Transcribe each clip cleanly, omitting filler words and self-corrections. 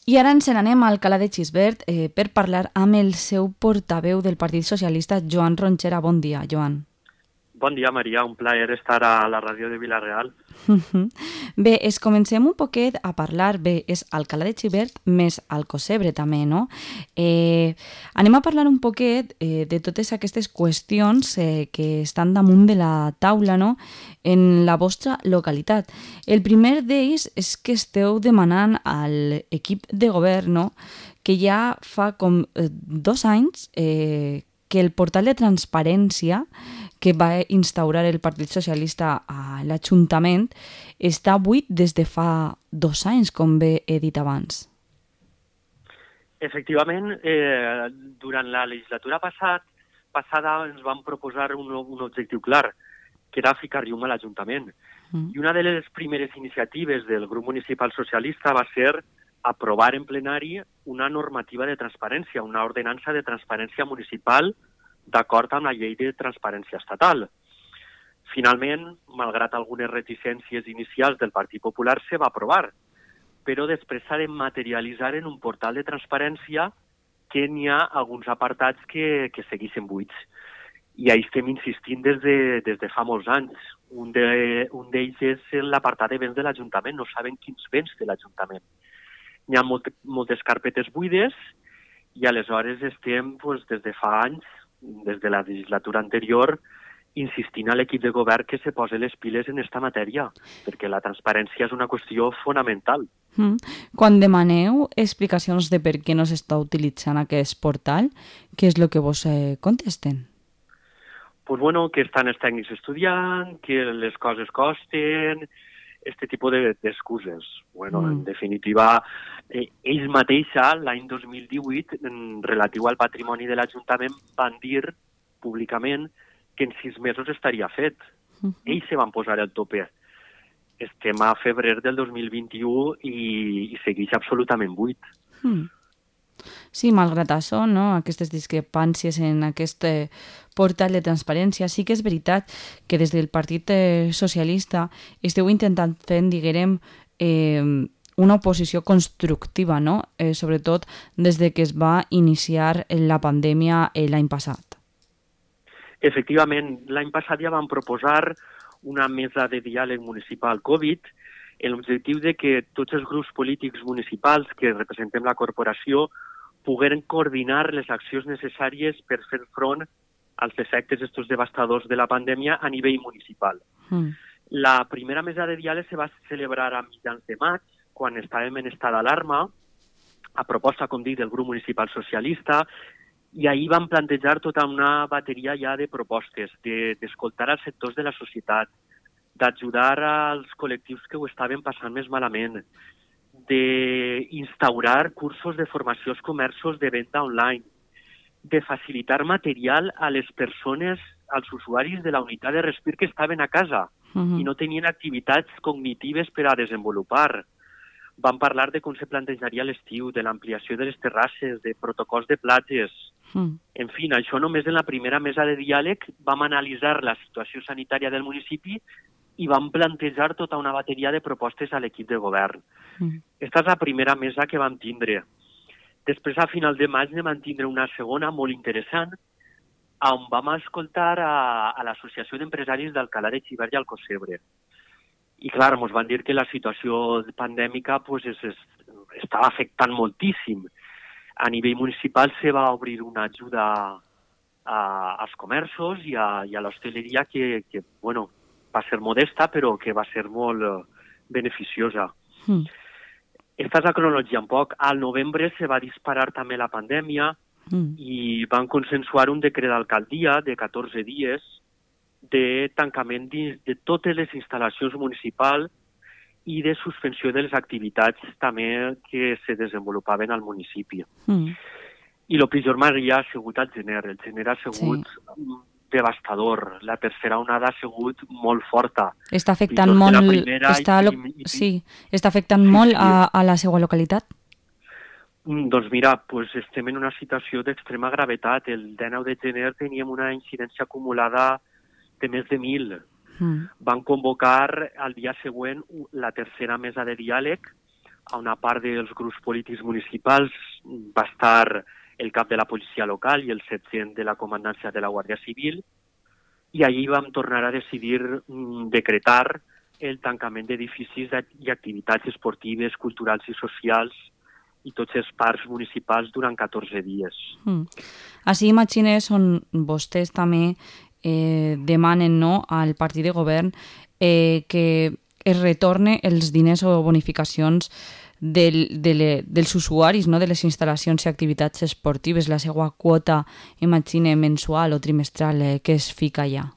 I ara ens n'anem a Alcalá de Xivert per parlar amb el seu portaveu del Partit Socialista, Joan Ronchera. Bon dia, Joan. Bon dia, Maria. Un plaer estar a la ràdio de Vila-real. Bé, comencem un poquet a parlar. Bé, és Alcalá de Xivert més Alcocebre també, no? Anem a parlar un poquet de totes aquestes qüestions que estan damunt de la taula, no?, en la vostra localitat. El primer d'ells és que esteu demanant a l'equip de govern, no?, que ja fa com 2 anys que el portal de transparència que va instaurar el Partit Socialista a l'Ajuntament està buit des de fa 2 anys, com bé he dit abans. Efectivament, durant la legislatura passada ens vam proposar un objectiu clar, que era ficar llum a l'Ajuntament. I una de les primeres iniciatives del grup municipal socialista va ser aprovar en plenari una normativa de transparència, una ordenança de transparència municipal d'acord amb la llei de transparència estatal. Finalment, malgrat algunes reticències inicials del Partit Popular, se va aprovar, però després s'ha de materialitzar en un portal de transparència que n'hi ha alguns apartats que segueixen buits. I ahí estem insistint des de fa molts anys. Un d'ells és l'apartat de béns de l'Ajuntament. No saben quins béns té l'Ajuntament. N'hi ha moltes carpetes buides i aleshores estem des de fa anys, des de la legislatura anterior, insistint a l'equip de govern que se posi les piles en esta matèria, perquè la transparència és una qüestió fonamental. Quan demaneu explicacions de per què no s'està utilitzant aquest portal, què és el que vos contesten? Pues bueno, que estan els tècnics estudiant, que les coses costen, este tipus d'excuses. Bueno, en definitiva, ells mateixa, l'any 2018, relatiu al patrimoni de l'Ajuntament, van dir públicament que en 6 mesos estaria fet. Ells se van posar al tope. Estem a febrer del 2021 i segueix absolutament buit. Sí, malgrat això, no?, aquestes discrepàncies en aquest portal de transparència, sí que és veritat que des del Partit Socialista esteu intentant fer, diguem, una oposició constructiva, no?, sobretot des de que es va iniciar la pandèmia l'any passat. Efectivament, l'any passat ja vam proposar una mesa de diàleg municipal Covid amb l'objectiu de que tots els grups polítics municipals que representem la corporació pogueren coordinar les accions necessàries per fer front als efectes estos devastadors de la pandèmia a nivell municipal. La primera mesa de diàleg se va celebrar a mitjans de maig, quan estàvem en estat d'alarma, a proposta, com dic, del grup municipal socialista, i ahir vam plantejar tota una bateria ja de propostes, d'escoltar els sectors de la societat, d'ajudar als col·lectius que ho estaven passant més malament, d'instaurar cursos de formació als comerços de venda online, de facilitar material a les persones, als usuaris de la unitat de respir que estaven a casa i no tenien activitats cognitives per a desenvolupar. Vam parlar de com se plantejaria l'estiu, de l'ampliació de les terrasses, de protocols de platges. En fi, això només en la primera mesa de diàleg vam analitzar la situació sanitària del municipi i vam plantejar tota una bateria de propostes a l'equip de govern. Esta és la primera mesa que vam tindre. Després, a final de maig, vam tindre una segona molt interessant, on vam escoltar a l'Associació d'Empresaris d'Alcalá de Xivert i Alcocebre. I clar, ens van dir que la situació pandèmica estava afectant moltíssim. A nivell municipal se va obrir una ajuda als comerços i a l'hostaleria que bueno, va ser modesta, però que va ser molt beneficiosa. Esta és la cronologia un poc. Al novembre se va disparar també la pandèmia i van consensuar un decret d'alcaldia de 14 dies de tancament de totes les instal·lacions municipals i de suspensió de les activitats també que se desenvolupaven al municipi. I el pitjor, Maria, ha sigut el gener. El gener ha sigut devastador. La tercera onada ha sigut molt forta. Està afectant molt, està afectant molt a la seva localitat? Doncs mira, estem en una situació d'extrema gravetat. El 19 de gener teníem una incidència acumulada de més de 1.000. Van convocar al dia següent la tercera mesa de diàleg a una part dels grups polítics municipals va estar el cap de la policia local i el sergent de la comandància de la Guàrdia Civil, i allí vam tornar a decidir decretar el tancament d'edificis i activitats esportives, culturals i socials i tots els parcs municipals durant 14 dies. Així imagines on vostès també demanen al partit de govern que es retorne els diners o bonificacions dels usuaris, de les instal·lacions i activitats esportives, la seva quota, imagine, mensual o trimestral que es fica allà.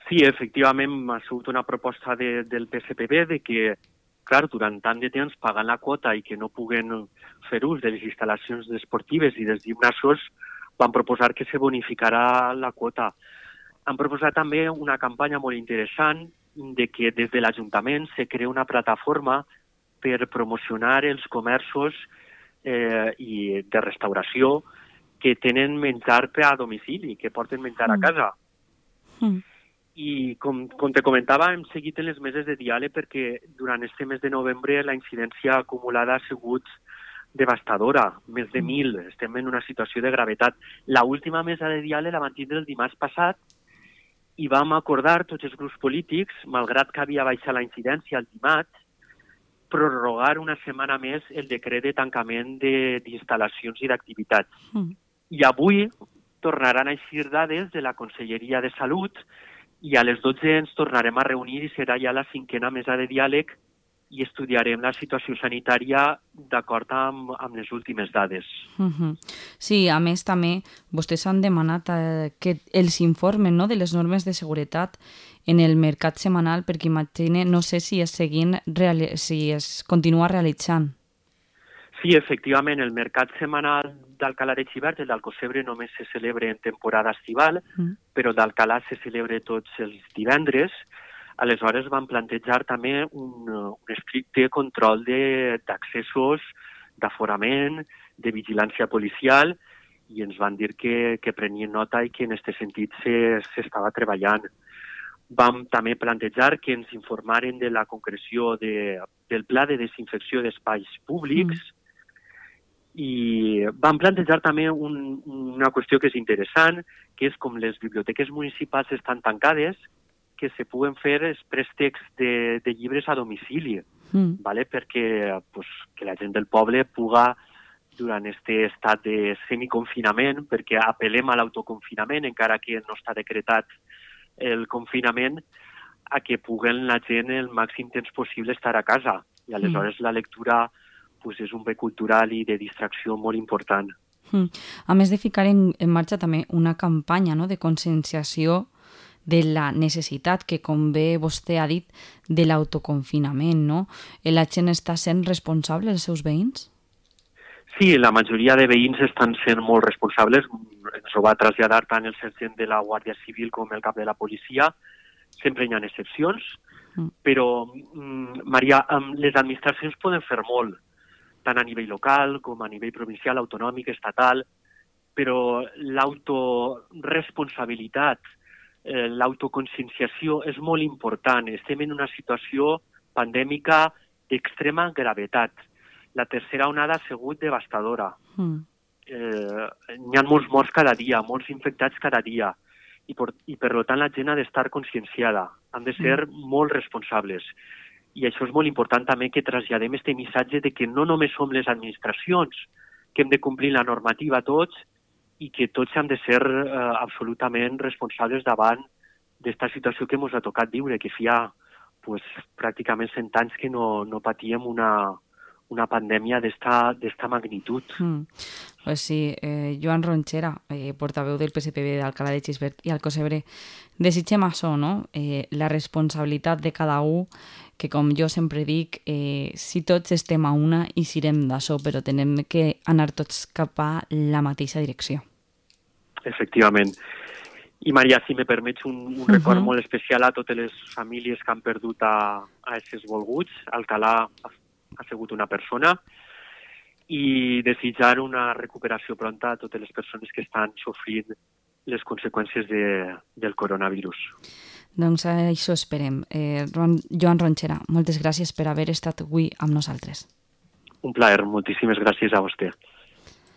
Sí, efectivament, ha sigut una proposta del PSPB de que, clar, durant tant de temps pagant la quota i que no puguen fer ús de les instal·lacions esportives i dels gimnasos, van proposar que se bonificarà la quota. Han proposat també una campanya molt interessant de que des de l'Ajuntament se crea una plataforma per promocionar els comerços i de restauració que tenen menjar a domicili, que porten menjar a casa. I com te comentava, hem seguit en les meses de diàleg perquè durant este mes de novembre la incidència acumulada ha sigut devastadora, més de 1.000, estem en una situació de gravetat. L'última mesa de diàleg la vam tindre el dimarts passat i vam acordar tots els grups polítics, malgrat que havia baixat la incidència el dimarts, prorrogar una setmana més el decret de tancament d'instal·lacions i d'activitats. I avui tornaran a eixir dades de la Conselleria de Salut i a les 12 ens tornarem a reunir i serà ja la 5a mesa de diàleg i estudiarem la situació sanitària d'acord amb les últimes dades. Sí, a més també vostès han demanat que els informen de les normes de seguretat en el mercat setmanal, perquè imagine, no sé si es continua realitzant. Sí, efectivament, el mercat setmanal d'Alcalà de Xivert, el d'Alcocebre, només se celebra en temporada estival, però d'Alcalà se celebra tots els divendres. Aleshores van plantejar també un estricte control d'accessos, d'aforament, de vigilància policial, i ens van dir que prenien nota i que en aquest sentit s'estava treballant. Vam també plantejar que ens informaren de la concreció del pla de desinfecció d'espais públics i vam plantejar també una qüestió que és interessant, que és com les biblioteques municipals estan tancades, que se puguen fer els préstecs de llibres a domicili, perquè que la gent del poble puga, durant aquest estat de semiconfinament, perquè apel·lem a l'autoconfinament, encara que no està decretat el confinament, a que puguen la gent el màxim temps possible estar a casa. I aleshores la lectura és un bé cultural i de distracció molt important. A més de ficar en marxa també una campanya de conscienciació de la necessitat que, com bé vostè ha dit, de l'autoconfinament, La gent està sent responsable dels seus veïns? Sí, la majoria de veïns estan sent molt responsables. Ens ho va traslladar tant el sergent de la Guàrdia Civil com el cap de la policia. Sempre hi ha excepcions, però, Maria, les administracions poden fer molt, tant a nivell local com a nivell provincial, autonòmic, estatal, però l'autoresponsabilitat, l'autoconscienciació és molt important. Estem en una situació pandèmica d'extrema gravetat. La tercera onada ha sigut devastadora. N'hi ha molts morts cada dia, molts infectats cada dia, i per tant la gent ha d'estar conscienciada, han de ser molt responsables. I això és molt important també que traslladem aquest missatge de que no només som les administracions que hem de complir la normativa tots i que tots hem de ser absolutament responsables davant d'esta situació que ens ha tocat viure, que feia pràcticament 100 anys que no patíem una pandèmia d'esta magnitud. Pues sí, Joan Ronchera, portaveu del PSPB d'Alcalà de Xivert i Alcocebre, desitgem això, la responsabilitat de cada un, que com jo sempre dic, si tots estem a una i sirem d'això, però tenem que anar tots cap a la mateixa direcció. Efectivament. I Maria, si me permets un record molt especial a totes les famílies que han perdut a aquests volguts. Alcalà ha sigut una persona, i desitjar una recuperació pronta a totes les persones que estan sofrint les conseqüències del coronavirus. Doncs això esperem. Joan Ronchera, moltes gràcies per haver estat avui amb nosaltres. Un plaer, moltíssimes gràcies a vostè.